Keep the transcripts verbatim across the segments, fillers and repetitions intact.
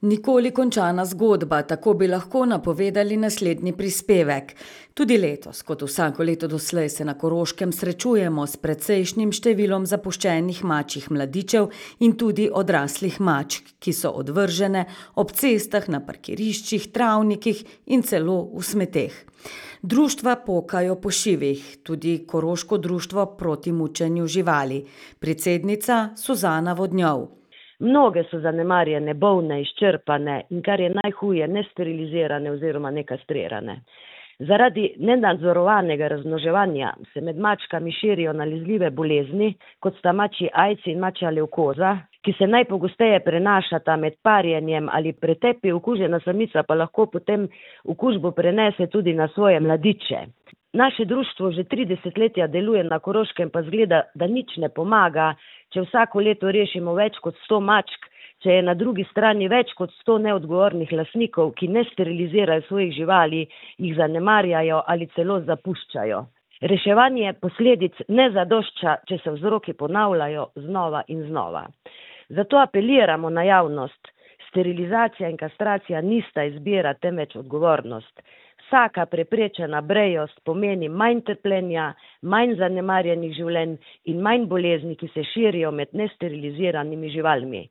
Nikoli končana zgodba, tako bi lahko napovedali naslednji prispevek. Tudi letos, kot vsako leto doslej, se na Koroškem srečujemo s precejšnjim številom zapuščenih mačjih mladičev in tudi odraslih mačk, ki so odvržene ob cestah, na parkiriščih, travnikih in celo v smeteh. Društva pokajo po šivih, tudi Koroško društvo proti mučenju živali. Predsednica Suzana Vodnjov. Mnoge so zanemarjene, bolne, izčrpane in kar je najhuje, nesterilizirane oziroma nekastrirane. Zaradi nenadzorovanega razmnoževanja se med mačkami širijo nalezljive bolezni, kot sta mačji aidsi in mačja levkoza, ki se najpogosteje prenašata med parjenjem ali pretepi. Okužena samica pa lahko potem okužbo prenese tudi na svoje mladiče. Naše društvo že tri desetletja deluje na Koroškem, pa zgleda, da nič ne pomaga, če vsako leto rešimo več kot sto mačk, če je na drugi strani več kot sto neodgovornih lastnikov, ki ne sterilizirajo svojih živali, jih zanemarjajo ali celo zapuščajo. Reševanje posledic ne zadošča, če se vzroki ponavljajo znova in znova. Zato apeliramo na javnost. Sterilizacija in kastracija nista izbira, temveč odgovornost. Vsaka preprečena brejost pomeni manj trpljenja, manj zanemarjenih življenj in manj bolezni, ki se širijo med nesteriliziranimi živalmi.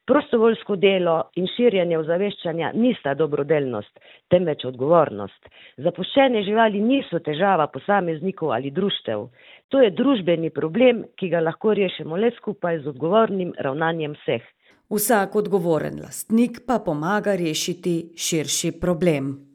Prostovoljsko delo in širjenje ozaveščanja nista dobrodelnost, temveč odgovornost. Zapuščene živali niso težava posameznikov ali društev. To je družbeni problem, ki ga lahko rešimo le skupaj z odgovornim ravnanjem vseh. Vsak odgovoren lastnik pa pomaga rešiti širši problem.